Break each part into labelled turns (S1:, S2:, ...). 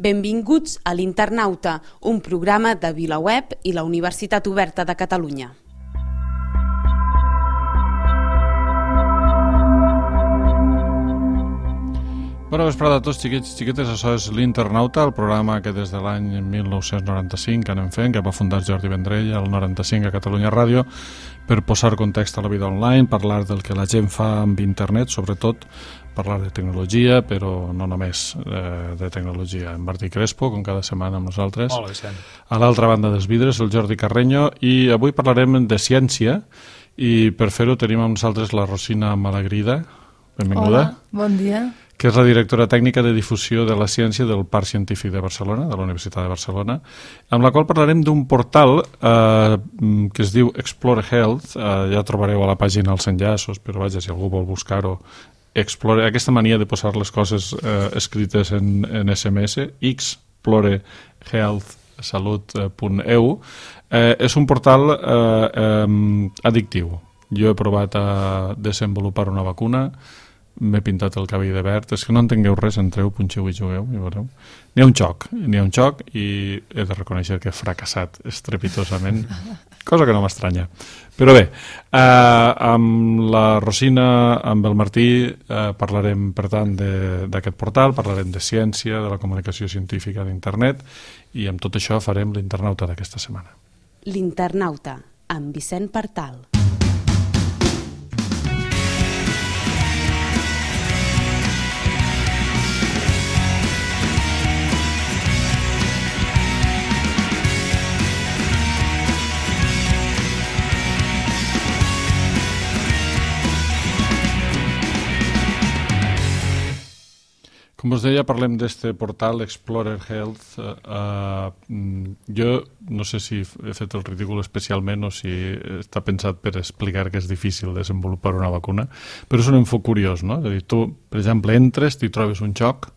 S1: Benvinguts a l'Internauta, un programa de VilaWeb i la Universitat Oberta de Catalunya.
S2: Bona vesprada a tots, xiquets i xiquetes. Això és l'Internauta, el programa que des de l'any 1995 anem fent, que va fundar Jordi Vendrell al 95 a Catalunya Ràdio, per posar context a la vida online, parlar del que la gent fa amb internet, sobretot parlar de tecnologia, però no només de tecnologia. En Martí Crespo, com cada setmana amb nosaltres.
S3: Hola, Vicent.
S2: A l'altra banda dels vidres, el Jordi Carreño, i avui parlarem de ciència, i per fer-ho tenim amb nosaltres la Rosina Malagrida. Benvinguda.
S4: Hola, bon dia.
S2: Que és la directora tècnica de difusió de la ciència del Parc Científic de Barcelona, de la Universitat de Barcelona, amb la qual parlarem d'un portal que es diu Explore Health. Ja trobareu a la pàgina els enllaços, però vaja, si algú vol buscar-ho, Explore, aquesta mania de posar les coses escrites en SMS, explorehealthsalut.eu, és un portal addictiu. Jo he provat a desenvolupar una vacuna, m'he pintat el cabell de verd, és que no entengueu res, entreu, punxeu i jugueu, i veureu. N'hi ha un xoc i he de reconèixer que he fracassat estrepitosament, cosa que no m'estranya. Però bé, amb la Rosina, amb el Martí, parlarem, per tant, d'aquest portal, parlarem de ciència, de la comunicació científica d'internet, i amb tot això farem l'Internauta d'aquesta setmana.
S1: L'Internauta, amb Vicent Partal.
S2: Com us deia, parlem d'este portal Explorer Health. Jo no sé si he fet el ridícul especialment o si està pensat per explicar que és difícil desenvolupar una vacuna, però és un enfoc curiós, no? És a dir, tu, per exemple, entres, t'hi trobes un xoc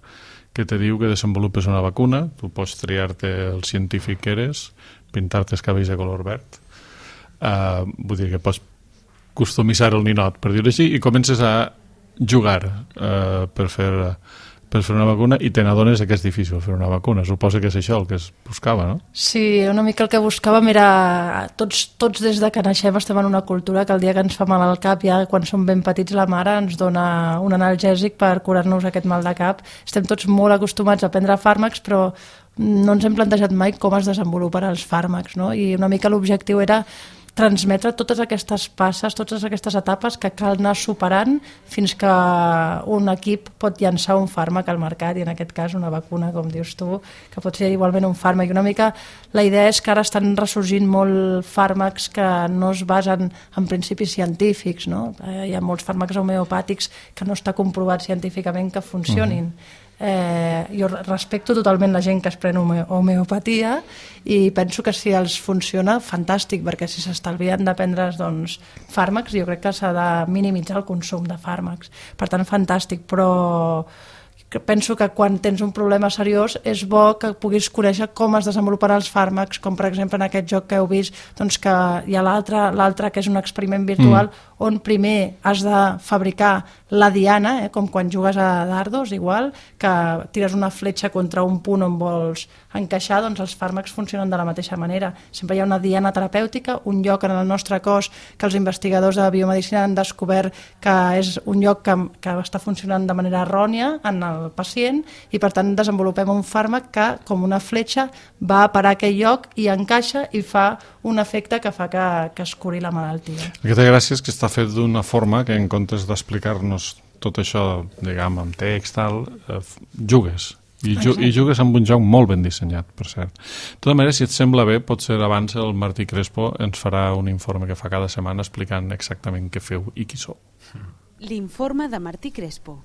S2: que te diu que desenvolupes una vacuna, tu pots triar-te el científic que eres, pintar-te els cabells de color verd, vull dir que pots customitzar el ninot, per dir-ho així, i comences a jugar per fer una vacuna, i te n'adones que és difícil fer una vacuna. Suposo que és això el que es buscava, no?
S4: Sí, una mica el que buscàvem era... Tots des de que naixem estem en una cultura que el dia que ens fa mal al cap, ja quan som ben petits, la mare ens dona un analgèsic per curar-nos aquest mal de cap. Estem tots molt acostumats a prendre fàrmacs, però no ens hem plantejat mai com es desenvoluparan els fàrmacs, no? I una mica l'objectiu era transmetre totes aquestes passes, totes aquestes etapes que cal anar superant fins que un equip pot llançar un fàrmac al mercat, i en aquest cas una vacuna, com dius tu, que pot ser igualment un fàrmac. I una mica la idea és que ara estan ressorgint molt fàrmacs que no es basen en principis científics, no? Hi ha molts fàrmacs homeopàtics que no està comprovat científicament que funcionin. Jo respecto totalment la gent que es pren homeopatia, i penso que si els funciona, fantàstic, perquè si s'estalvien de prendre's fàrmacs, jo crec que s'ha de minimitzar el consum de fàrmacs. Per tant, fantàstic, però penso que quan tens un problema seriós és bo que puguis conèixer com es desenvoluparan els fàrmacs, com per exemple en aquest joc que heu vist, doncs que hi ha l'altre que és un experiment virtual on primer has de fabricar la diana, com quan jugues a dardos, igual, que tires una fletxa contra un punt on vols encaixar, doncs els fàrmacs funcionen de la mateixa manera. Sempre hi ha una diana terapèutica, un lloc en el nostre cos que els investigadors de biomedicina han descobert que és un lloc que està funcionant de manera errònia en el pacient, i per tant desenvolupem un fàrmac que, com una fletxa, va a parar aquell lloc i encaixa i fa un efecte que fa que es curi la malaltia.
S2: El que té gràcia és que està fet d'una forma que, en comptes d'explicar-nos tot això, diguem, amb text, jugues. I jugues amb un joc molt ben dissenyat, per cert. De tota manera, si et sembla bé, potser abans el Martí Crespo ens farà un informe que fa cada setmana explicant exactament què feu i qui sou.
S1: L'informe de Martí Crespo.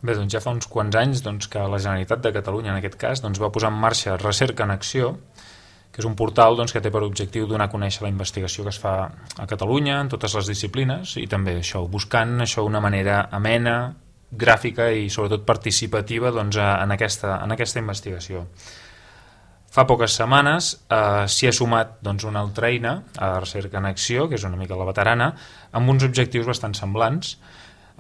S3: Bé, doncs ja fa uns quants anys que la Generalitat de Catalunya, en aquest cas, va posar en marxa Recerca en Acció, que és un portal que té per objectiu donar a conèixer la investigació que es fa a Catalunya en totes les disciplines, i també buscant una manera amena, gràfica i sobretot participativa en aquesta investigació. Fa poques setmanes s'hi ha sumat una altra eina, a Recerca en Acció, que és una mica la veterana, amb uns objectius bastant semblants.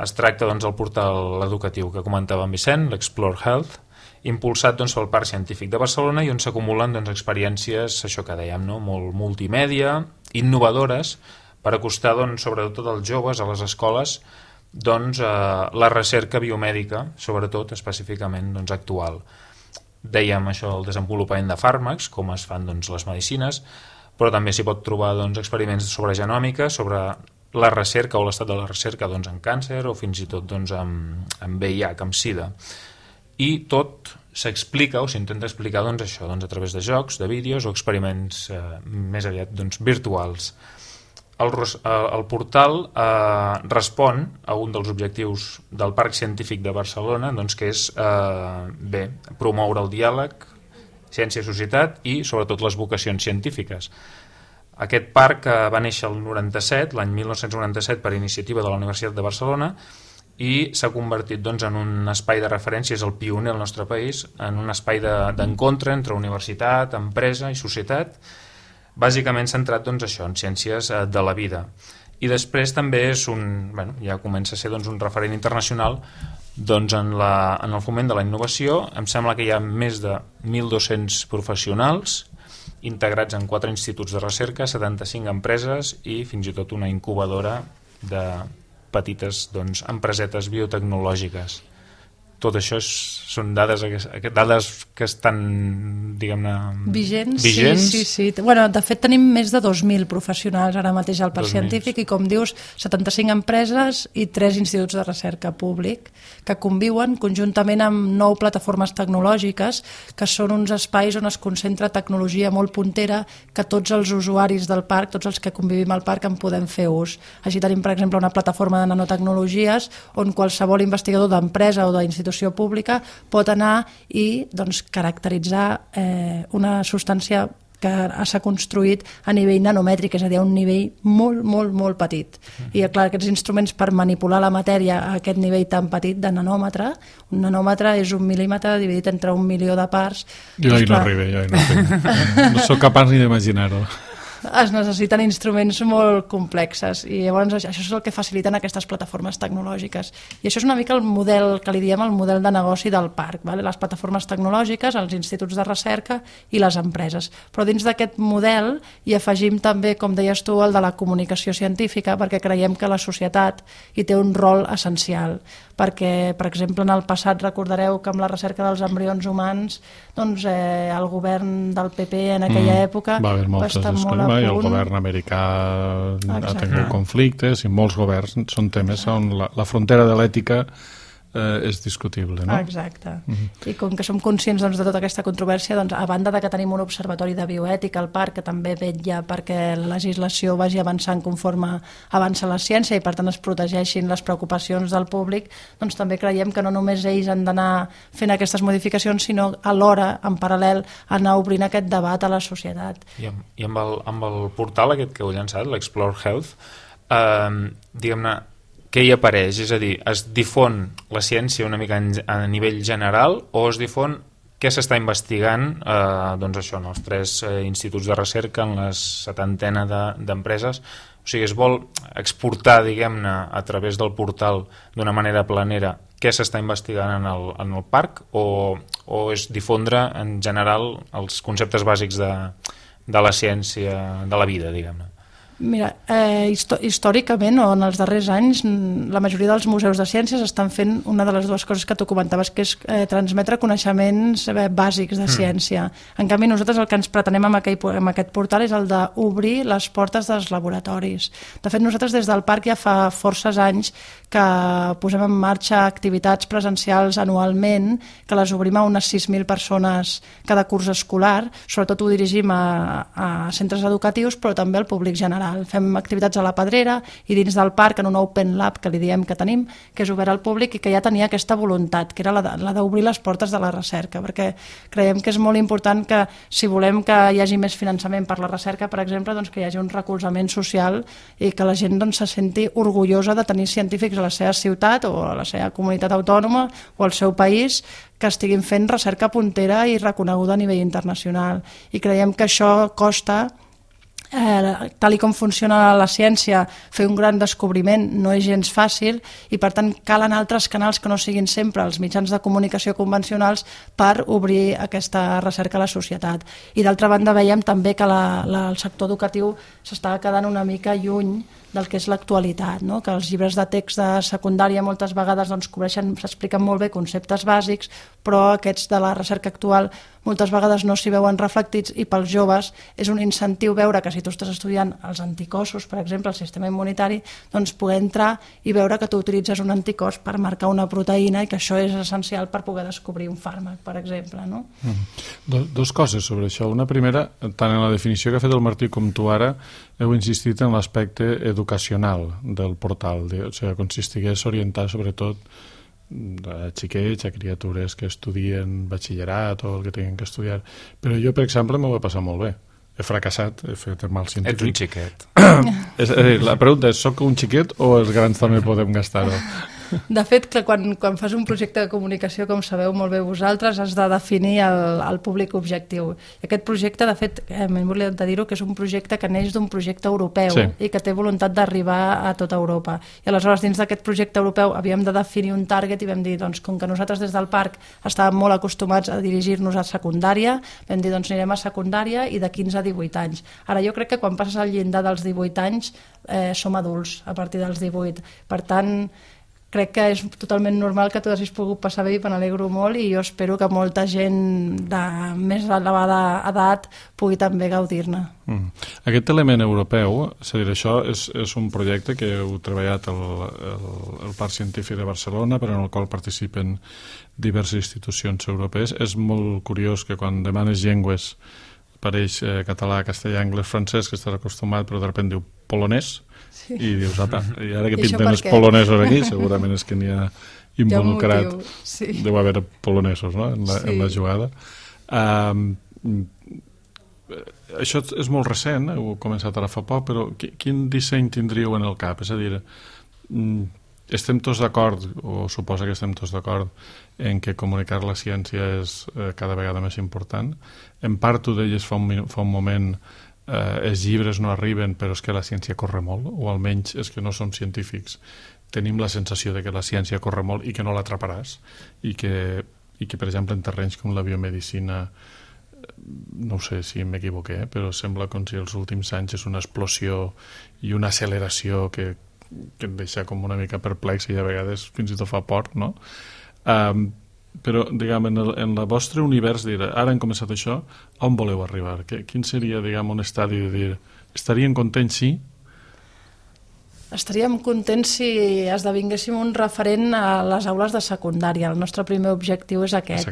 S3: Es tracta del portal educatiu que comentava en Vicent, l'Explore Health, impulsat pel Parc Científic de Barcelona i on s'acumulen experiències, això que dèiem, molt multimèdia, innovadores, per acostar sobretot als joves, a les escoles, la recerca biomèdica, sobretot específicament actual. Dèiem això, el desenvolupament de fàrmacs, com es fan les medicines, però també s'hi pot trobar experiments sobre genòmica, sobre la recerca o l'estat de la recerca en càncer o fins i tot en VIH, amb SIDA. I tot s'explica o s'intenta explicar això a través de jocs, de vídeos o experiments més aviat virtuals. El portal respon a un dels objectius del Parc Científic de Barcelona, que és promoure el diàleg, ciència-societat i sobretot les vocacions científiques. Aquest parc va néixer el 97, l'any 1997, per iniciativa de la Universitat de Barcelona, i s'ha convertit en un espai de referència, és el pioner al nostre país, en un espai d'encontre entre universitat, empresa i societat, bàsicament centrat això, en ciències de la vida. I després també és ja comença a ser un referent internacional en el foment de la innovació. Em sembla que hi ha més de 1.200 professionals integrats en 4 instituts de recerca, 75 empreses i fins i tot una incubadora de petites empresetes biotecnològiques. Tot això són dades que estan, diguem-ne,
S4: vigents. Sí.
S3: Bueno,
S4: de fet, tenim més de 2.000 professionals ara mateix al Parc Científic i, com dius, 75 empreses i 3 instituts de recerca públic que conviuen conjuntament amb 9 plataformes tecnològiques, que són uns espais on es concentra tecnologia molt puntera que tots els usuaris del parc, tots els que convivim al parc, en podem fer ús. Així tenim, per exemple, una plataforma de nanotecnologies on qualsevol investigador d'empresa o d'institució pública pot anar i caracteritzar una substància que s'ha construït a nivell nanomètric, és a dir, a un nivell molt, molt, molt petit. I clar, aquests instruments per manipular la matèria a aquest nivell tan petit de nanòmetre, un nanòmetre és un mil·límetre dividit entre 1 milió de parts.
S2: Jo hi no arribo, no soc capaç ni d'imaginar-ho.
S4: Es necessiten instruments molt complexes i llavors això és el que faciliten aquestes plataformes tecnològiques. I això és una mica el model que li diem el model de negoci del parc, les plataformes tecnològiques, els instituts de recerca i les empreses. Però dins d'aquest model hi afegim també, com deies tu, el de la comunicació científica, perquè creiem que la societat hi té un rol essencial. Perquè, per exemple, en el passat recordareu que amb la recerca dels embrions humans el govern del PP en aquella època
S2: va haver moltes discussions i el govern americà ha tingut conflictes i molts governs són temes on la frontera de l'ètica és discutible, no?
S4: Exacte. I com que som conscients de tota aquesta controvèrsia, a banda de que tenim un observatori de bioètica al parc que també vetlla perquè la legislació vagi avançant conforme avança la ciència i per tant es protegeixin les preocupacions del públic, doncs també creiem que no només ells han d'anar fent aquestes modificacions, sinó alhora, en paral·lel, anar obrint aquest debat a la societat.
S3: I amb el portal aquest que heu llançat, l'Explore Health, diguem-ne, què hi apareix? És a dir, es difon la ciència una mica a nivell general o es difon què s'està investigant en els 3 instituts de recerca, en les 70 d'empreses? O sigui, es vol exportar, diguem-ne, a través del portal d'una manera planera què s'està investigant en el parc o és difondre en general els conceptes bàsics de la ciència, de la vida, diguem-ne?
S4: Mira, històricament o en els darrers anys la majoria dels museus de ciències estan fent una de les dues coses que tu comentaves, que és transmetre coneixements bàsics de ciència. En canvi, nosaltres el que ens pretenem amb aquest portal és el d'obrir les portes dels laboratoris. De fet, nosaltres des del parc ja fa forces anys que posem en marxa activitats presencials anualment, que les obrim a unes 6.000 persones cada curs escolar, sobretot ho dirigim a centres educatius, però també al públic general. Fem activitats a la Pedrera i dins del parc en un Open Lab que li diem que tenim, que és obert al públic i que ja tenia aquesta voluntat, que era la d'obrir les portes de la recerca, perquè creiem que és molt important que si volem que hi hagi més finançament per la recerca, per exemple, doncs que hi hagi un recolzament social i que la gent se senti orgullosa de tenir científics a la seva ciutat o a la seva comunitat autònoma o al seu país que estiguin fent recerca puntera i reconeguda a nivell internacional. I creiem que això costa tal i com funciona la ciència, fer un gran descobriment no és gens fàcil i per tant calen altres canals que no siguin sempre els mitjans de comunicació convencionals per obrir aquesta recerca a la societat. I d'altra banda veiem també que el sector educatiu s'està quedant una mica lluny del que és l'actualitat, no? Que els llibres de text de secundària moltes vegades s'expliquen molt bé conceptes bàsics, però aquests de la recerca actual moltes vegades no s'hi veuen reflectits i pels joves és un incentiu veure que si tu estàs estudiant els anticossos, per exemple, el sistema immunitari, doncs poder entrar i veure que tu utilitzes un anticòs per marcar una proteïna i que això és essencial per poder descobrir un fàrmac, per exemple, no?
S2: Dos coses sobre això. Una primera, tant en la definició que ha fet el Martí com tu ara, heu insistit en l'aspecte educacional del portal, o sigui, consistigués orientar sobretot a xiquets, a criatures que estudien batxillerat o el que tinguin que estudiar. Però jo, per exemple, m'ho he passat molt bé. He fracassat, he fet mal científic.
S3: Ets un xiquet.
S2: És a dir, la pregunta és, soc un xiquet o els grans també podem gastar-ho?
S4: De fet, quan fas un projecte de comunicació, com sabeu molt bé vosaltres, has de definir el públic objectiu. I aquest projecte, de fet, m'he oblidat de dir-ho, que és un projecte que neix d'un projecte europeu i que té voluntat d'arribar a tota Europa. I aleshores, dins d'aquest projecte europeu, havíem de definir un target i vam dir, doncs, com que nosaltres des del parc estàvem molt acostumats a dirigir-nos a secundària, vam dir, doncs, anirem a secundària i de 15 a 18 anys. Ara, jo crec que quan passes al llindar dels 18 anys som adults a partir dels 18. Per tant, crec que és totalment normal que tu hagis pogut passar bé i me n'alegro molt i jo espero que molta gent de més elevada edat pugui també gaudir-ne.
S2: Aquest element europeu, és a dir, això és un projecte que heu treballat al Parc Científic de Barcelona, però en el qual participen diverses institucions europees. És molt curiós que quan demanes llengües apareix català, castellà, anglès, francès, que estàs acostumat, però de sobte diu polonès, i dius, apa, i ara que pinten els polonesos aquí, segurament és que n'hi ha involucrat, deu haver polonesos, no?, en la jugada. Això és molt recent, heu començat ara fa poc, però quin disseny tindríeu en el cap? És a dir, estem tots d'acord, o suposa que estem tots d'acord, en que comunicar la ciència és cada vegada més important. En part, tu deies fa un moment, els llibres no arriben, però és que la ciència corre molt, o almenys és que no som científics. Tenim la sensació de que la ciència corre molt i que no l'atraparàs, i que, per exemple, en terrenys com la biomedicina, no sé si m'equivoqué, però sembla com si els últims anys és una explosió i una acceleració que et deixa com una mica perplex i a vegades fins i tot fa por, no? Però, diguem, en el vostre univers, ara hem començat això, on voleu arribar? Quin seria, diguem, un estadi de dir, estaríem contents si?
S4: Estaríem contents si esdevinguéssim un referent a les aules de secundària. El nostre primer objectiu és aquest.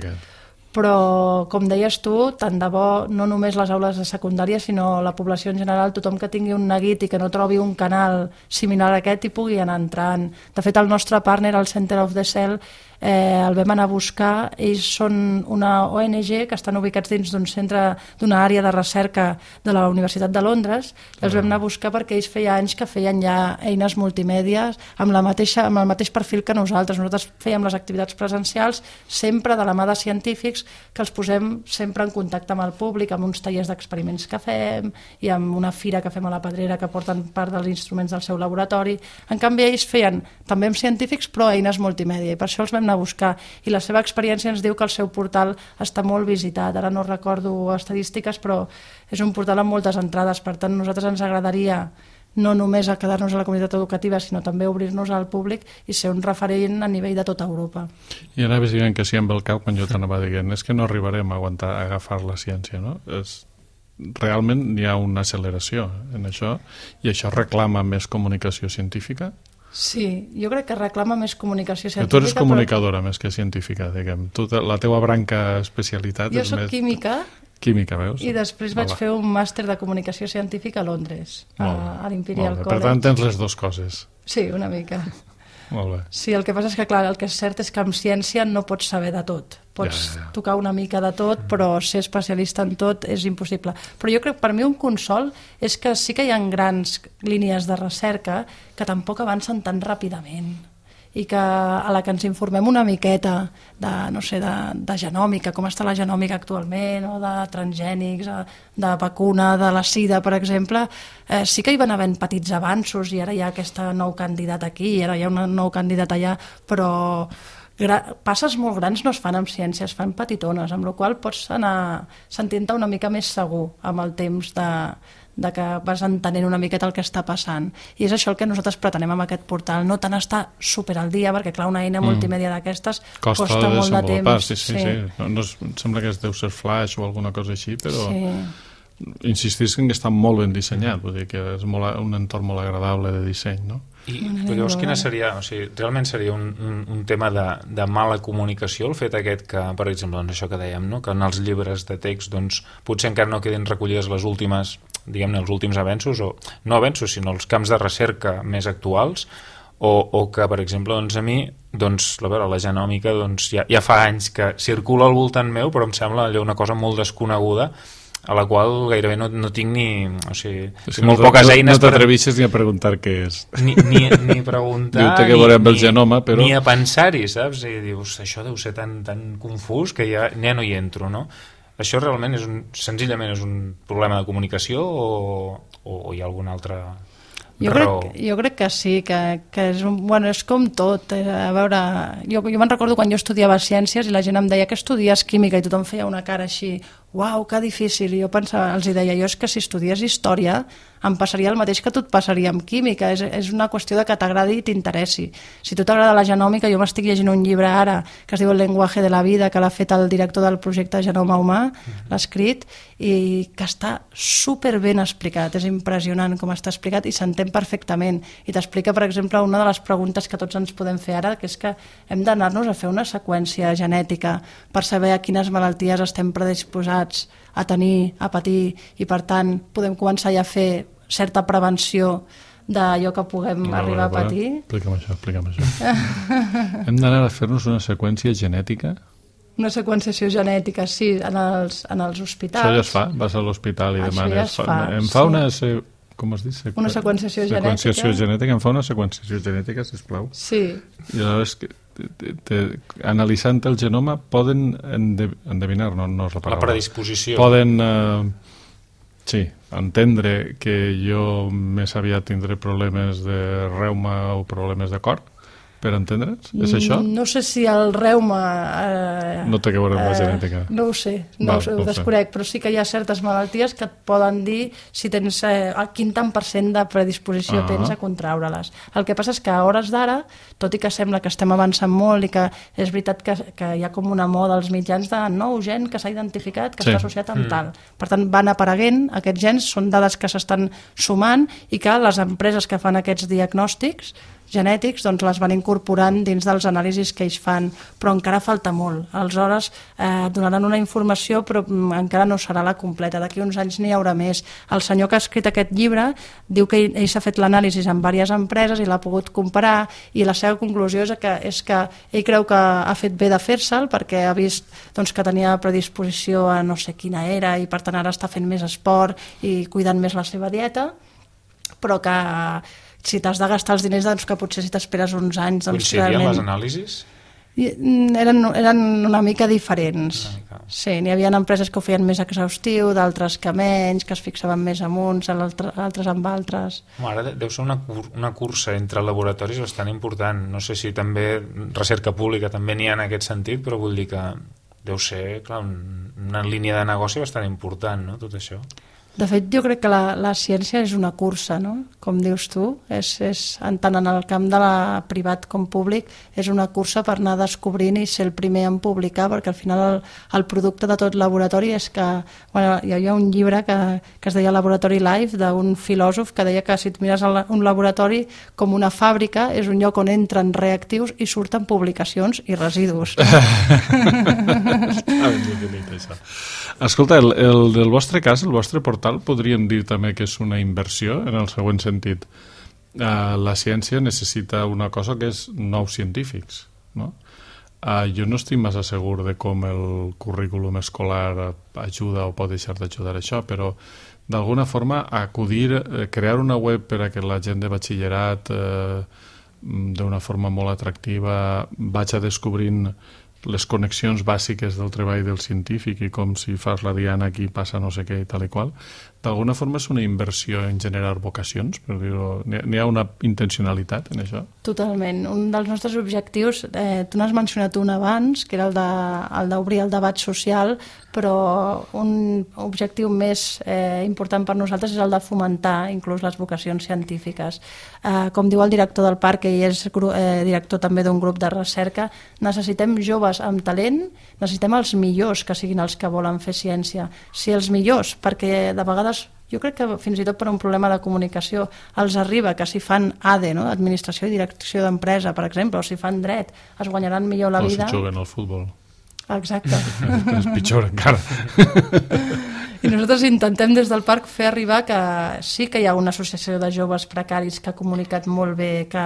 S4: Però, com deies tu, tant de bo no només les aules de secundària, sinó la població en general, tothom que tingui un neguit i que no trobi un canal similar a aquest i pugui anar entrant. De fet, el nostre partner, el Center of the Cell, el vam anar a buscar. Ells són una ONG que estan ubicats dins d'un centre, d'una àrea de recerca de la Universitat de Londres, i els vam anar a buscar perquè ells feia anys que feien ja eines multimèdia amb el mateix perfil que nosaltres. Nosaltres fèiem les activitats presencials sempre de la mà de científics que els posem sempre en contacte amb el públic, amb uns tallers d'experiments que fem i amb una fira que fem a la Pedrera que porten part dels instruments del seu laboratori. En canvi, ells feien també amb científics, però eines multimèdia, i per això els vam anar a buscar. I la seva experiència ens diu que el seu portal està molt visitat. Ara no recordo estadístiques, però és un portal amb moltes entrades. Per tant, a nosaltres ens agradaria no només a quedar-nos a la comunitat educativa, sinó també obrir-nos al públic i ser un referent a nivell de tota Europa.
S2: I anaves dient que sí amb el cap quan jo t'anava dient, és que no arribarem a aguantar a agafar la ciència, no? Realment hi ha una acceleració en això, i això reclama més comunicació científica?
S4: Sí, jo crec que reclama més comunicació científica.
S2: Tu eres comunicadora més que científica, diguem. La teua branca especialitat
S4: jo
S2: és
S4: soc
S2: més...
S4: Química,
S2: veus?
S4: I després vaig fer un màster de comunicació científica a Londres, a l'Imperial College.
S2: Per tant, tens les dues coses.
S4: Sí, una mica.
S2: Molt bé.
S4: Sí, el que passa és que, clar, el que és cert és que amb ciència no pots saber de tot. Pots tocar una mica de tot, però ser especialista en tot és impossible. Però jo crec que per mi un consol és que sí que hi ha grans línies de recerca que tampoc avancen tan ràpidament. i que a la que ens informem una miqueta de, no sé, de genòmica, com està la genòmica actualment, o de transgènics, de vacuna, de la sida, per exemple, sí que hi van havent petits avanços i ara hi ha aquest nou candidat aquí, ara hi ha un nou candidat allà, però passes molt grans no es fan amb ciència, es fan petitones, amb la qual pots anar sentint-te una mica més segur amb el temps de que vas entenent una miqueta el que està passant. I és això el que nosaltres pretenem amb aquest portal, no tant estar super al dia, perquè clar, una eina multimèdia d'aquestes costa molt de temps.
S2: Sí. No, sembla que deu ser Flash o alguna cosa així, però insistís que està molt ben dissenyat, vull dir que és un entorn molt agradable de disseny, no?
S3: I llavors quina seria, o sigui, realment seria un tema de mala comunicació el fet aquest que, per exemple, doncs això que dèiem, no? Que en els llibres de text doncs, potser encara no quedin recollides les últimes, diguem-ne, els últims avenços, o no avenços, sinó els camps de recerca més actuals, o que, per exemple, doncs a mi, doncs, la genòmica doncs, ja fa anys que circula al voltant meu, però em sembla allò una cosa molt desconeguda, a la qual gairebé no tinc ni... O sigui, molt poques eines...
S2: No t'atreveixes ni a preguntar què és.
S3: Ni preguntar...
S2: Diu-te que veurem el genoma, però...
S3: Ni a pensar-hi, saps? I dius, això deu ser tan confús que ja no hi entro, no? Això realment senzillament és un problema de comunicació o hi ha alguna altra raó?
S4: Jo crec que sí, que és com tot. A veure, jo me'n recordo quan jo estudiava ciències i la gent em deia que estudies química i tothom feia una cara així, uau, que difícil, i jo pensava, els deia jo, és que si estudies història em passaria el mateix que a tu et passaria amb química, és una qüestió de que t'agradi i t'interessi. Si a tu t'agrada la genòmica, jo m'estic llegint un llibre ara que es diu El lenguaje de la vida, que l'ha fet el director del projecte Genoma Humà, l'ha escrit, i que està super ben explicat, és impressionant com està explicat i s'entén perfectament, i t'explica, per exemple, una de les preguntes que tots ens podem fer ara, que és que hem d'anar-nos a fer una seqüència genètica per saber a quines malalties estem predisposats a tenir, a patir, i per tant podem començar ja a fer certa prevenció d'allò que puguem arribar a patir.
S2: Explica'm això. Hem d'anar a fer-nos una seqüència genètica?
S4: Una seqüenciació genètica, sí, en els hospitals.
S2: Això ja es fa? Vas a l'hospital i demanes... Em fa una... Com es diu?
S4: Una seqüenciació genètica.
S2: Seqüenciació genètica. Em fa una seqüenciació genètica, sisplau.
S4: Sí.
S2: I aleshores, analitzant el genoma, poden endevinar, no és la paraula.
S3: La predisposició.
S2: Poden, entendre que jo més aviat tindré problemes de reuma o problemes de cor, per entendre'ns? És això?
S4: No sé si el reuma...
S2: no té que veure amb la genètica.
S4: No ho sé, ho desconec, però sí que hi ha certes malalties que et poden dir si tens quin tant % de predisposició tens a contraure-les. El que passa és que a hores d'ara, tot i que sembla que estem avançant molt i que és veritat que hi ha com una moda als mitjans de nou gen que s'ha identificat, que està associat amb tal. Per tant, van apareguent, aquests gens són dades que s'estan sumant i que les empreses que fan aquests diagnòstics genètics doncs les van incorporant dins dels anàlisis que ells fan, però encara falta molt. Aleshores donaran una informació però encara no serà la completa, d'aquí uns anys n'hi haurà més. El senyor que ha escrit aquest llibre diu que ell s'ha fet l'anàlisi amb diverses empreses i l'ha pogut comparar i la seva conclusió és que ell creu que ha fet bé de fer-se'l perquè ha vist doncs, que tenia predisposició a no sé quina era i per tant ara està fent més esport i cuidant més la seva dieta, però que si t'has de gastar els diners, doncs que potser si t'esperes uns anys...
S3: Coincidien les anàlisis?
S4: Eren una mica diferents. Sí, n'hi havia empreses que ho feien més exhaustiu, d'altres que menys, que es fixaven més en uns, altres amb altres.
S3: Ara deu ser una cursa entre laboratoris bastant important. No sé si també recerca pública també n'hi ha en aquest sentit, però vull dir que deu ser, clar, una línia de negoci bastant important, no?, tot això.
S4: De fet, jo crec que la ciència és una cursa, no? Com dius tu, tant en el camp de la privat com públic, és una cursa per anar descobrint i ser el primer en publicar, perquè al final el producte de tot laboratori és que... Bueno, hi havia un llibre que es deia Laboratory Life, d'un filòsof que deia que si et mires un laboratori com una fàbrica, és un lloc on entren reactius i surten publicacions i residus.
S2: Està ben definit, això. Escolta, el del vostre cas, el vostre portal, podríem dir també que és una inversió en el següent sentit. La ciència necessita una cosa que és nous científics, no? Jo no estic massa segur de com el currículum escolar ajuda o pot deixar d'ajudar això, però d'alguna forma crear una web per a que la gent de batxillerat d'una forma molt atractiva vaig descobrint les connexions bàsiques del treball del científic i com si fas la diana aquí passa no sé què i tal i qual, d'alguna forma és una inversió en generar vocacions, per dir-ho. N'hi ha una intencionalitat en això?
S4: Totalment. Un dels nostres objectius, tu n'has mencionat un abans, que era el d'obrir el debat social, però un objectiu més important per nosaltres és el de fomentar inclús les vocacions científiques. Com diu el director del parc, que és director també d'un grup de recerca, necessitem joves amb talent, necessitem els millors que siguin els que volen fer ciència. Si els millors, perquè de vegades jo crec que fins i tot per un problema de comunicació els arriba que si fan ADE, no? Administració i Direcció d'Empresa, per exemple, o si fan dret, es guanyaran millor la vida.
S2: O si juguen al futbol.
S4: Exacte.
S2: És pitjor encara.
S4: I nosaltres intentem des del parc fer arribar que sí que hi ha una associació de joves precaris que ha comunicat molt bé que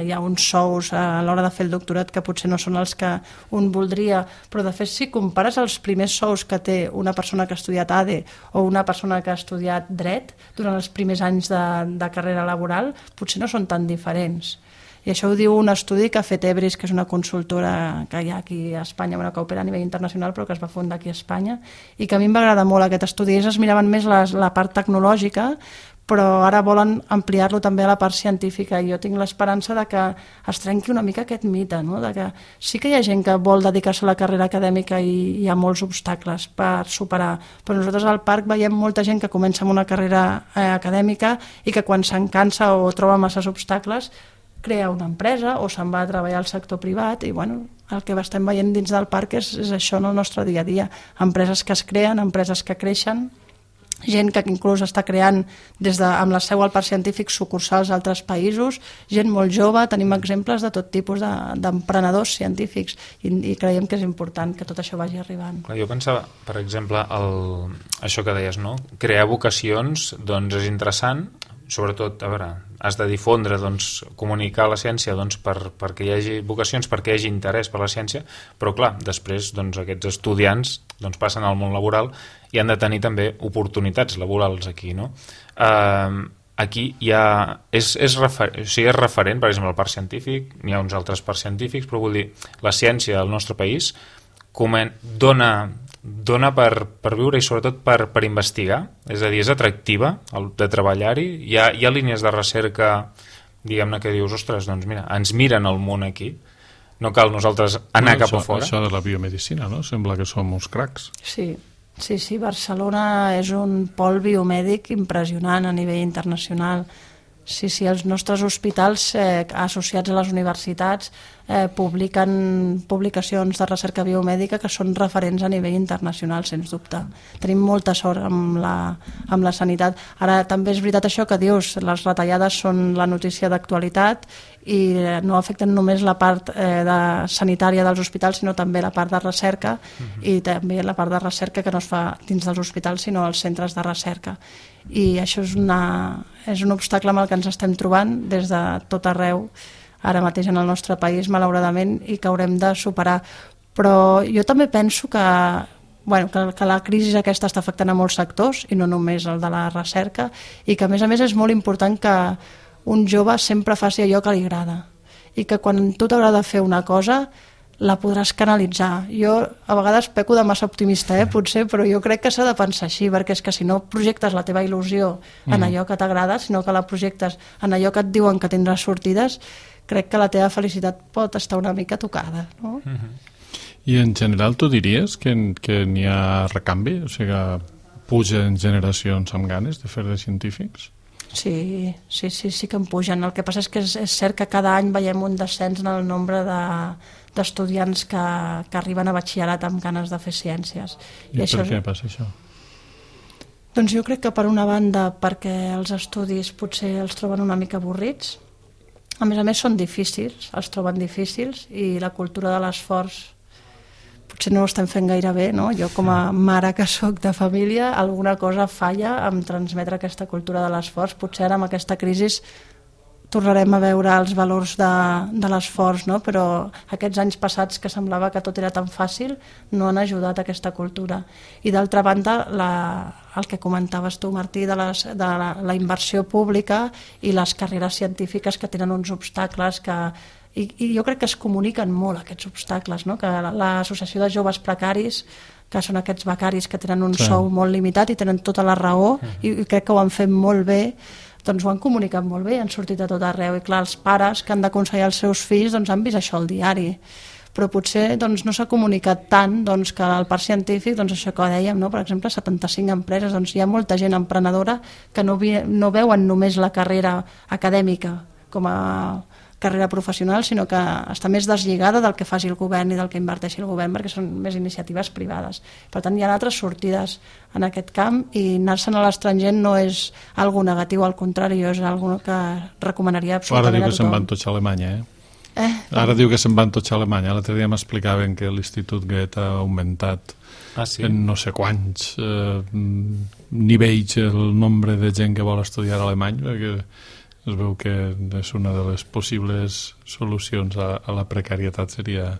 S4: hi ha uns sous a l'hora de fer el doctorat que potser no són els que un voldria, però de fet si compares els primers sous que té una persona que ha estudiat ADE o una persona que ha estudiat dret durant els primers anys de carrera laboral, potser no són tan diferents. I això ho diu un estudi que ha fet Ebris, que és una consultora que hi ha aquí a Espanya, que opera a nivell internacional, però que es va fundar aquí a Espanya, i que a mi em va agradar molt aquest estudi. Ells es miraven més la part tecnològica, però ara volen ampliar-lo també a la part científica, i jo tinc l'esperança de que es trenqui una mica aquest mite, no? De que sí que hi ha gent que vol dedicar-se a la carrera acadèmica i hi ha molts obstacles per superar, però nosaltres al parc veiem molta gent que comença amb una carrera acadèmica i que quan se'n cansa o troba masses obstacles crea una empresa o se'n va a treballar al sector privat i bueno, el que estem veient dins del parc és això en el nostre dia a dia. Empreses que es creen, empreses que creixen, gent que inclús està creant amb la seu al parc científic sucursals a altres països, gent molt jove, tenim exemples de tot tipus d'emprenedors científics i creiem que és important que tot això vagi arribant.
S3: Clar, jo pensava, per exemple, això que deies, no? Crear vocacions doncs és interessant, sobretot, a veure, has de difondre, doncs, comunicar la ciència doncs, perquè hi hagi vocacions, perquè hi hagi interès per la ciència, però clar, després doncs, aquests estudiants doncs, passen al món laboral i han de tenir també oportunitats laborals aquí, no? Aquí hi ha... és referent, per exemple, el parc científic, n'hi ha uns altres parcs científics, però vull dir, la ciència al nostre país dona per viure i sobretot per investigar, és a dir, és atractiva de treballar-hi, hi ha línies de recerca, diguem-ne, que dius, ostres, doncs mira, ens miren el món aquí, no cal nosaltres anar cap a fora.
S2: Això de la biomedicina, no? Sembla que som uns cracs.
S4: Sí, Barcelona és un pol biomèdic impressionant a nivell internacional. Sí, els nostres hospitals associats a les universitats publiquen publicacions de recerca biomèdica que són referents a nivell internacional, sens dubte. Tenim molta sort amb la sanitat. Ara també és veritat això que dius, les retallades són la notícia d'actualitat i no afecten només la part sanitària dels hospitals, sinó també la part de recerca i també la part de recerca que no es fa dins dels hospitals, sinó als centres de recerca. I això és un obstacle amb el que ens estem trobant des de tot arreu, ara mateix en el nostre país, malauradament, i que haurem de superar. Però jo també penso que la crisi aquesta està afectant a molts sectors, i no només el de la recerca, i que a més és molt important que un jove sempre faci allò que li agrada, i que quan tu t'agrada fer una cosa la podràs canalitzar. Jo a vegades peco de massa optimista, potser, però jo crec que s'ha de pensar així, perquè és que si no projectes la teva il·lusió en allò que t'agrada, sinó que la projectes en allò que et diuen que tindràs sortides, crec que la teva felicitat pot estar una mica tocada, no?
S2: I en general tu diries que n'hi ha recanvi? O sigui, pugen generacions amb ganes de fer de científics?
S4: Sí que en pugen. El que passa és que és cert que cada any veiem un descens en el nombre d'estudiants que arriben a batxillerat amb ganes de fer ciències.
S2: I per què passa això?
S4: Doncs jo crec que per una banda perquè els estudis potser els troben una mica avorrits, a més són difícils, els troben difícils, i la cultura de l'esforç potser no ho estem fent gaire bé, no? Jo com a mare que soc de família, alguna cosa falla en transmetre aquesta cultura de l'esforç. Potser ara amb aquesta crisi tornarem a veure els valors de l'esforç, no? Però aquests anys passats que semblava que tot era tan fàcil no han ajudat a aquesta cultura. I d'altra banda, el que comentaves tu, Martí, de la inversió pública i les carreres científiques que tenen uns obstacles i jo crec que es comuniquen molt aquests obstacles, no? Que l'associació de joves precaris, que són aquests becaris que tenen un sou molt limitat i tenen tota la raó, i crec que ho han fet molt bé, doncs ho han comunicat molt bé, han sortit a tot arreu, i clar, els pares que han d'aconsellar els seus fills doncs han vist això al diari, però potser doncs, no s'ha comunicat tant doncs, que al parc científic, doncs, això que dèiem, no? Per exemple, 75 empreses, doncs, hi ha molta gent emprenedora que no veuen només la carrera acadèmica com a carrera professional, sinó que està més deslligada del que faci el govern i del que inverteixi el govern, perquè són més iniciatives privades. Per tant, hi ha altres sortides en aquest camp, i anar-se'n a l'estranger no és algo negatiu, al contrari, és algo que recomanaria absolutament a tothom.
S2: Ara diu que se'n van tots a Alemanya, Ara diu que se'n van tots a Alemanya. L'altre dia m'explicaven que l'Institut Goethe ha augmentat en no sé quants nivells el nombre de gent que vol estudiar alemany, perquè es veu que és una de les possibles solucions a la precarietat seria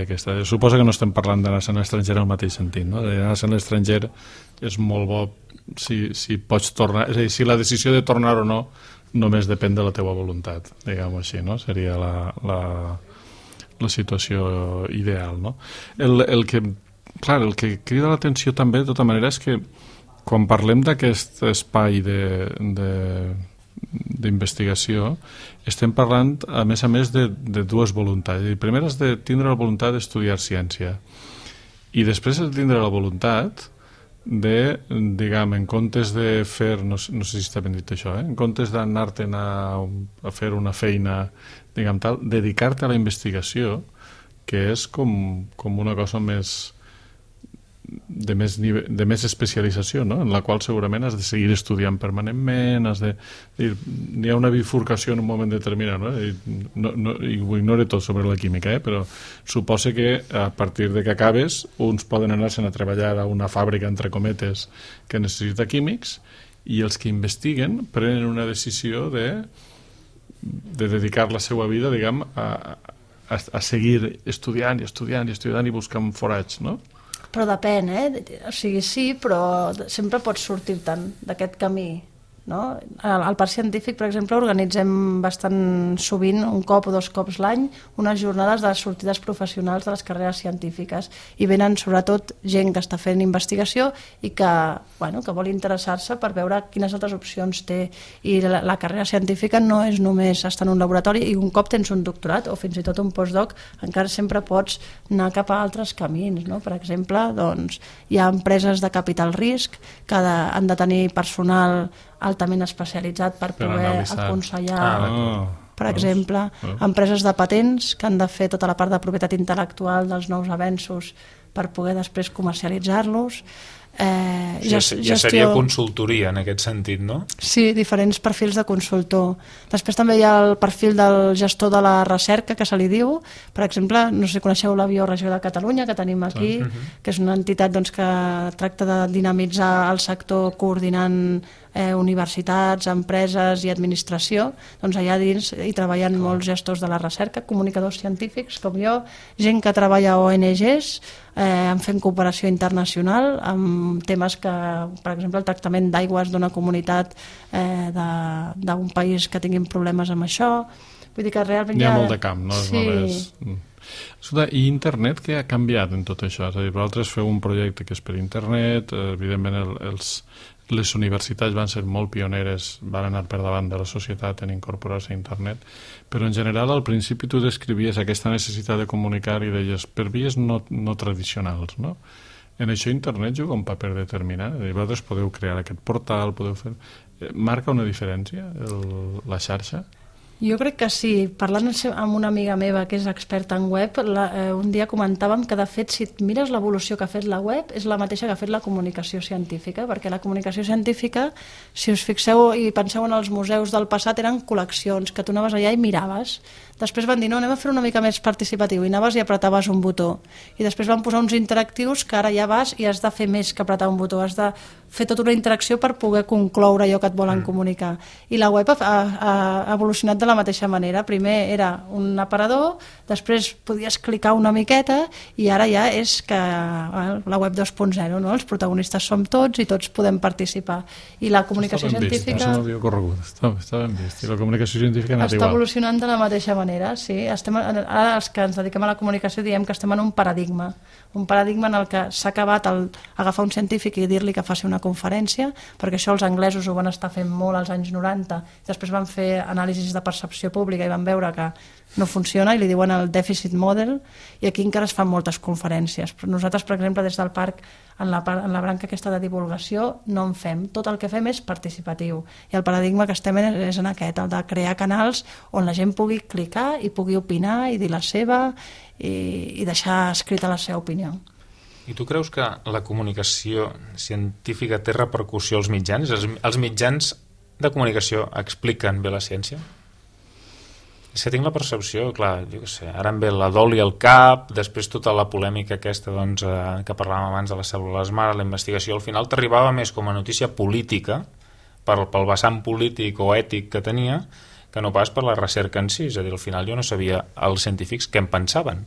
S2: aquesta. Suposo que no estem parlant d'anar-se a l'estranger al mateix sentit, no? Anar-se a l'estranger és molt bo si pots tornar, és a dir, si la decisió de tornar o no només depèn de la teva voluntat, diguem-ho així, no? Seria la situació ideal, no? El que crida l'atenció també, de tota manera, és que quan parlem d'aquest espai d'investigació, estem parlant a més de dues voluntats. La primera és de tindre la voluntat d'estudiar ciència, i després de tindre la voluntat de, diguem, en comptes de fer, no sé si està ben dit això, en comptes d'anar-te'n a fer una feina, diguem tal, dedicar-te a la investigació, que és com una cosa de més especialització, no? En la qual segurament has de seguir estudiant permanentment, hi ha una bifurcació en un moment determinat, no? I ho ignore tot sobre la química, però suposa que a partir de que acabes uns poden anar-se'n a treballar a una fàbrica, entre cometes, que necessita químics, i els que investiguen prenen una decisió de dedicar la seva vida, diguem, a seguir estudiant i buscant forats, no?
S4: Però depèn, o sigui, sí, però sempre pots sortir-te'n d'aquest camí, no? Al parc científic, per exemple, organitzem bastant sovint, un cop o dos cops l'any, unes jornades de sortides professionals de les carreres científiques, i venen sobretot gent que està fent investigació i que vol interessar-se per veure quines altres opcions té, i la carrera científica no és només estar en un laboratori, i un cop tens un doctorat o fins i tot un postdoc encara sempre pots anar cap a altres camins, no? Per exemple, doncs, hi ha empreses de capital risc que han de tenir personal altament especialitzat per poder aconsellar, per exemple, empreses de patents que han de fer tota la part de propietat intel·lectual dels nous avenços per poder després comercialitzar-los.
S3: Ja seria consultoria en aquest sentit, no?
S4: Sí, diferents perfils de consultor. Després també hi ha el perfil del gestor de la recerca, que se li diu. Per exemple, no sé si coneixeu la Bioregió de Catalunya, que tenim aquí, que és una entitat que tracta de dinamitzar el sector coordinant universitats, empreses i administració. Doncs allà dins hi treballen molts gestors de la recerca, comunicadors científics com jo, gent que treballa a ONGs, fent cooperació internacional amb temes que, per exemple, el tractament d'aigües d'una comunitat d'un país que tinguin problemes amb això. Vull dir que realment
S2: hi ha molt de camp, no?
S4: Sí.
S2: I internet, què ha canviat en tot això? És a dir, vosaltres feu un projecte que és per internet, evidentment les universitats van ser molt pioneres, van anar per davant de la societat en incorporar-se a internet, però en general al principi tu descrivies aquesta necessitat de comunicar i deies per vies no tradicionals, no? En això internet juga un paper determinant. Vosaltres podeu crear aquest portal, podeu fer... Marca una diferència la xarxa?
S4: Jo crec que sí. Parlant amb una amiga meva que és experta en web, un dia comentàvem que, de fet, si et mires l'evolució que ha fet la web, és la mateixa que ha fet la comunicació científica, perquè la comunicació científica, si us fixeu i penseu en els museus del passat, eren col·leccions que tu anaves allà i miraves. Després van dir, no, anem a fer una mica més participatiu, i anaves i apretaves un botó. I després van posar uns interactius que ara ja vas i has de fer més que apretar un botó, has de fer tota una interacció per poder concloure allò que et volen comunicar. I la web ha evolucionat de la mateixa manera. Primer era un aparador, després podies clicar una miqueta i ara ja és que la web 2.0, no? Els protagonistes som tots i tots podem participar. I la comunicació científica...
S2: Això m'havia corregut, està ben vist. I la comunicació científica ha anat igual.
S4: Està evolucionant de la mateixa manera, sí. Ara els que ens dediquem a la comunicació diem que estem en un paradigma en el que s'ha acabat agafar un científic i dir-li que faci una conferència, perquè això els anglesos ho van estar fent molt als anys 90, després van fer anàlisis de percepció pública i van veure que no funciona i li diuen el deficit model, i aquí encara es fan moltes conferències. Però nosaltres, per exemple, des del parc, en la branca aquesta de divulgació, no en fem. Tot el que fem és participatiu. I el paradigma que estem és en aquest, el de crear canals on la gent pugui clicar i pugui opinar i dir la seva i deixar escrita la seva opinió.
S3: I tu creus que la comunicació científica té repercussió als mitjans? Els mitjans de comunicació expliquen bé la ciència? És que tinc la percepció, clar, jo què sé, ara em ve la dol i el cap, després tota la polèmica aquesta doncs, que parlàvem abans de les cèl·lules mare, la investigació, al final t'arribava més com a notícia política, pel vessant polític o ètic que tenia, que no pas per la recerca en si. És a dir, al final jo no sabia els científics què en pensaven.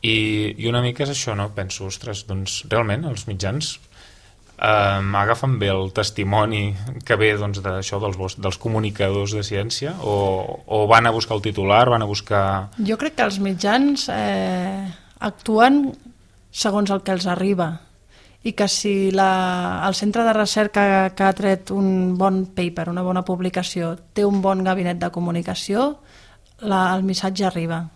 S3: I una mica és això, no? Penso, ostres, doncs realment els mitjans agafen bé el testimoni que ve doncs, d'això dels comunicadors de ciència o van a buscar el titular, van a buscar...
S4: Jo crec que els mitjans actuen segons el que els arriba, i que si el centre de recerca que ha tret un bon paper, una bona publicació, té un bon gabinet de comunicació, el missatge arriba.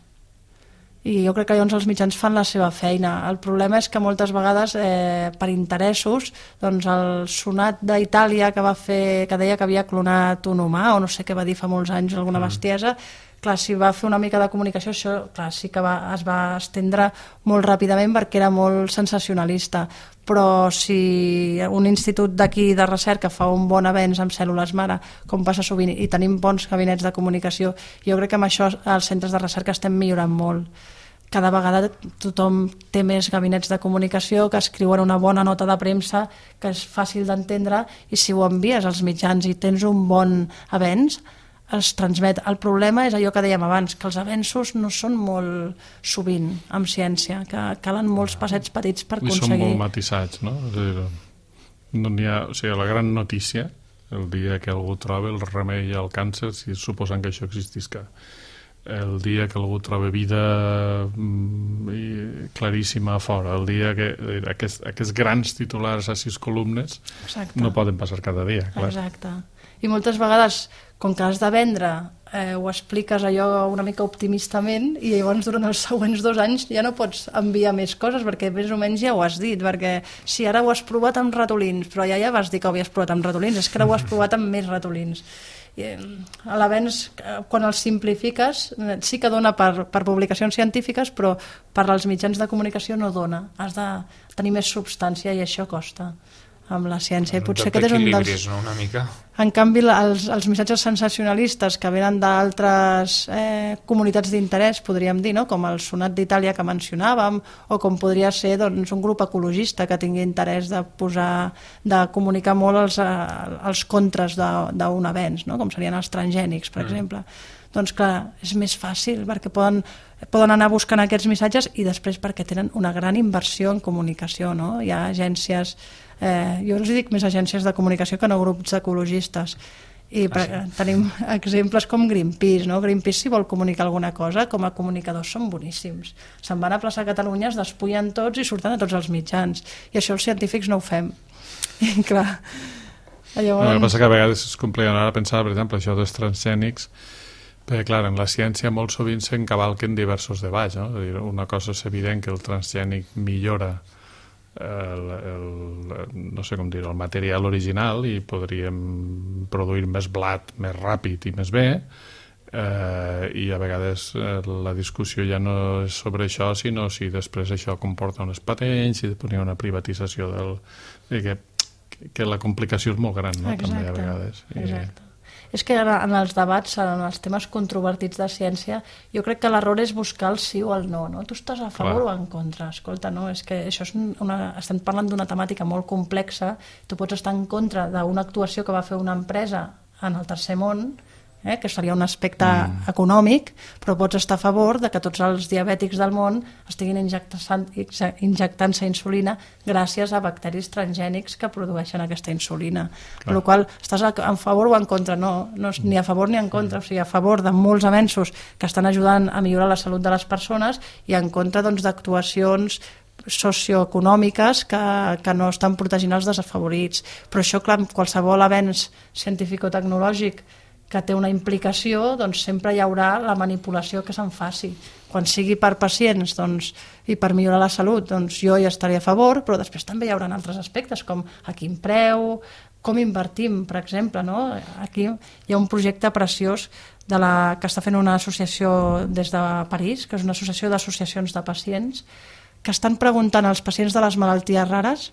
S4: I jo crec que llavors els mitjans fan la seva feina. El problema és que moltes vegades, per interessos, doncs el sonat d'Itàlia que deia que havia clonat un humà, o no sé què va dir fa molts anys, alguna bestiesa, clar, si va fer una mica de comunicació, això clar, sí que es va estendre molt ràpidament perquè era molt sensacionalista. Però si un institut d'aquí de recerca fa un bon avenç amb cèl·lules mare, com passa sovint, i tenim bons gabinets de comunicació, jo crec que amb això els centres de recerca estem millorant molt. Cada vegada tothom té més gabinets de comunicació que escriuen una bona nota de premsa que és fàcil d'entendre, i si ho envies als mitjans i tens un bon avenç, es transmet. El problema és allò que dèiem abans, que els avenços no són molt sovint en ciència, que calen molts passets petits per aconseguir.
S2: I són molt matisats, no? És a dir, no n'hi ha, o sigui, la gran notícia, el dia que algú troba el remei al càncer, si suposant que això existisca, el dia que algú troba vida claríssima a fora, el dia que aquests grans titulars a 6 columnes no poden passar cada dia, clar.
S4: Exacte. I moltes vegades, com que has de vendre, ho expliques allò una mica optimistament, i llavors durant els següents 2 anys ja no pots enviar més coses, perquè més o menys ja ho has dit, perquè si ara ho has provat amb ratolins, però ja vas dir que ho havies provat amb ratolins, és que ara ho has provat amb més ratolins. A l'avenç, quan els simplifiques, sí que dona per publicacions científiques, però per als mitjans de comunicació no dona. Has de tenir més substància i això costa amb la ciència. I potser aquest és un dels...
S3: no, una mica.
S4: En canvi, els missatges sensacionalistes que venen d'altres comunitats d'interès, podríem dir, no? Com el sonat d'Itàlia que mencionàvem, o com podria ser doncs, un grup ecologista que tingui interès de comunicar molt els contres d'un avenç, no? Com serien els transgènics, per exemple. Doncs clar, és més fàcil perquè poden anar buscant aquests missatges, i després perquè tenen una gran inversió en comunicació, no? Hi ha agències, jo us dic més agències de comunicació que no grups ecologistes, i tenim exemples com Greenpeace, no? Greenpeace, si vol comunicar alguna cosa, com a comunicadors són boníssims, se'n van a plaça Catalunya, es despullen tots i surten a tots els mitjans, i això els científics no ho fem. I clar, llavors...
S2: El que passa que a vegades es compliquen. Ara pensar, per exemple, això dels transgènics, perquè, clar, en la ciència molt sovint s'encavalquen diversos debats, no? És a dir, una cosa és evident que el transgènic millora no sé com dir, el material original, i podríem produir més blat més ràpid i més bé, I a vegades la discussió ja no és sobre això, sinó si després això comporta unes patents, si després hi ha una privatització que la complicació és molt gran, no?
S4: Exacte,
S2: també a vegades.
S4: Exacte. És que en els debats, en els temes controvertits de ciència, jo crec que l'error és buscar el sí o el no, no? Tu estàs a favor o en contra? Escolta, no, és que això és estem parlant d'una temàtica molt complexa, tu pots estar en contra d'una actuació que va fer una empresa en el tercer món, que seria un aspecte econòmic, però pots estar a favor de que tots els diabètics del món estiguin injectant-se insulina gràcies a bacteris transgènics que produeixen aquesta insulina. Per la qual estàs a favor o en contra? No és ni a favor ni en contra, o sigui, a favor de molts avenços que estan ajudant a millorar la salut de les persones i en contra d'actuacions socioeconòmiques que no estan protegint els desafavorits. Però això, clar, qualsevol avenç científico-tecnològic que té una implicació, doncs sempre hi haurà la manipulació que se'n faci. Quan sigui per pacients i per millorar la salut, doncs jo hi estaré a favor, però després també hi haurà altres aspectes, com a quin preu, com invertim, per exemple. No? Aquí hi ha un projecte preciós que està fent una associació des de París, que és una associació d'associacions de pacients, que estan preguntant als pacients de les malalties rares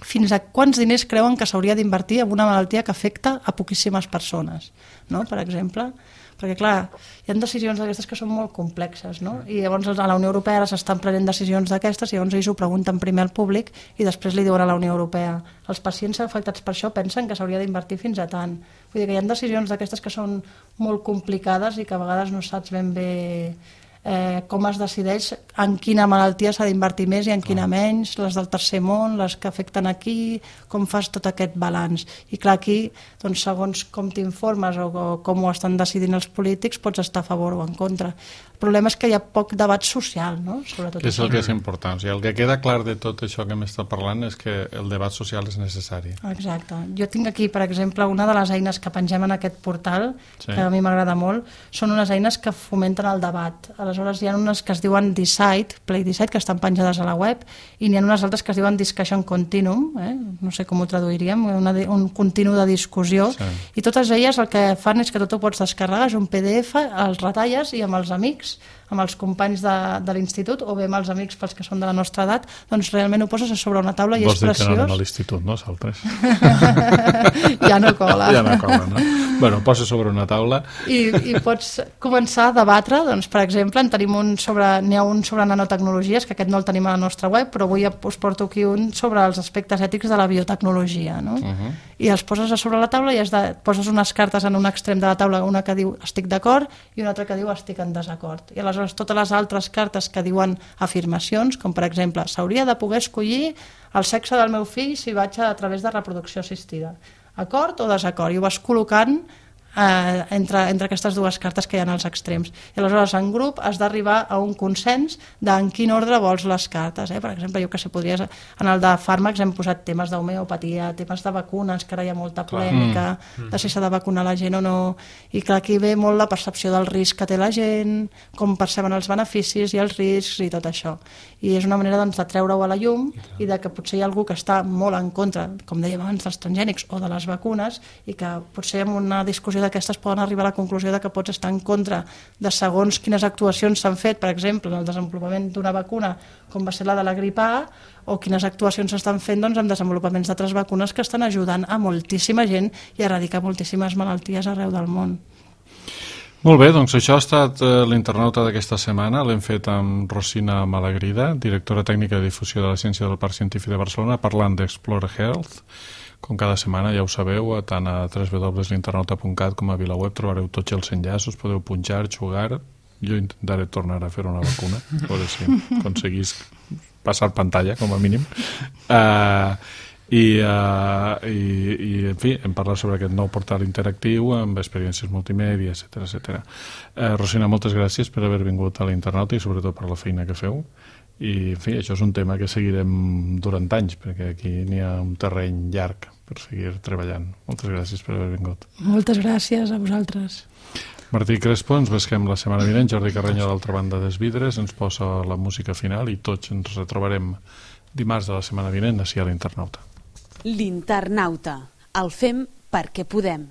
S4: fins a quants diners creuen que s'hauria d'invertir en una malaltia que afecta a poquíssimes persones, no? Per exemple, perquè clar, hi ha decisions d'aquestes que són molt complexes, no? I llavors a la Unió Europea ara s'estan prenent decisions d'aquestes i llavors ells ho pregunten primer al públic i després li diuen a la Unió Europea. Els pacients afectats per això pensen que s'hauria d'invertir fins a tant. Vull dir que hi ha decisions d'aquestes que són molt complicades i que a vegades no saps ben bé com es decideix en quina malaltia s'ha d'invertir més i en quina menys, les del tercer món, les que afecten aquí, com fas tot aquest balanç. I clar, aquí, doncs, segons com t'informes o com ho estan decidint els polítics, pots estar a favor o en contra. El problema és que hi ha poc debat social, no? Sobretot
S2: que és el que és important. O sigui, el que queda clar de tot això que m'està parlant és que el debat social és necessari.
S4: Exacte. Jo tinc aquí, per exemple, una de les eines que pengem en aquest portal, que a mi m'agrada molt, són unes eines que fomenten el debat. Aleshores hi ha unes que es diuen Decide, Play Decide, que estan penjades a la web, i n'hi ha unes altres que es diuen Discussion Continuum, no sé com ho traduiríem, un continu de discussió, i totes elles el que fan és que tot ho pots descarregar, és un PDF, els retalles i amb els amics, amb els companys de l'institut o bé amb els amics pels que són de la nostra edat, doncs realment ho poses a sobre una taula i és preciós.
S2: Vols dir que no anem a l'institut, no, saltres?
S4: Ja no cola.
S2: Ja no cola, no? Bueno, posa sobre una taula.
S4: I pots començar a debatre, doncs, per exemple, n'hi ha un sobre nanotecnologies, que aquest no el tenim a la nostra web, però avui us porto aquí un sobre els aspectes ètics de la biotecnologia, no? I els poses a sobre la taula i poses unes cartes en un extrem de la taula, una que diu estic d'acord i una altra que diu estic en desacord. I aleshores totes les altres cartes que diuen afirmacions, com per exemple s'hauria de poder escollir el sexe del meu fill si vaig a través de reproducció assistida. Acord o desacord? I ho vas col·locant entre aquestes dues cartes que hi ha als extrems. I aleshores en grup has d'arribar a un consens en quin ordre vols les cartes. Per exemple, jo que sé, en el de fàrmacs hem posat temes d'homeopatia, temes de vacunes, que ara hi ha molta polèmica de si s'ha de vacunar la gent o no, i clar, aquí ve molt la percepció del risc que té la gent, com perceben els beneficis i els riscs i tot això. I és una manera de treure-ho a la llum i de que potser hi ha algú que està molt en contra, com dèiem abans, dels transgènics o de les vacunes, i que potser en una discussió d'aquestes poden arribar a la conclusió de que pots estar en contra de segons quines actuacions s'han fet, per exemple, en el desenvolupament d'una vacuna, com va ser la de la grip A, o quines actuacions s'estan fent en desenvolupaments d'altres vacunes que estan ajudant a moltíssima gent i a erradicar moltíssimes malalties arreu del món.
S2: Molt bé, doncs això ha estat l'internauta d'aquesta setmana. L'hem fet amb Rosina Malagrida, directora tècnica de difusió de la ciència del Parc Científic de Barcelona, parlant d'Explore Health. Com cada setmana, ja ho sabeu, tant a www.l'internauta.cat com a VilaWeb trobareu tots els enllaços, podeu punxar, jugar. Jo intentaré tornar a fer una vacuna, a veure si aconseguís passar pantalla, com a mínim. I en fi, hem parlat sobre aquest nou portal interactiu amb experiències multimèdia, etc. Rosina, moltes gràcies per haver vingut a l'Internauta i sobretot per la feina que feu. I en fi, això és un tema que seguirem durant anys, perquè aquí n'hi ha un terreny llarg per seguir treballant. Moltes gràcies per haver vingut.
S4: Moltes gràcies a vosaltres.
S2: Martí Crespo, ens vesquem la setmana vinent. Jordi Carreño, d'altra banda dels vidres, ens posa la música final i tots ens retrobarem dimarts de la setmana vinent ací a l'Internauta.
S1: L'Internauta. El fem perquè podem.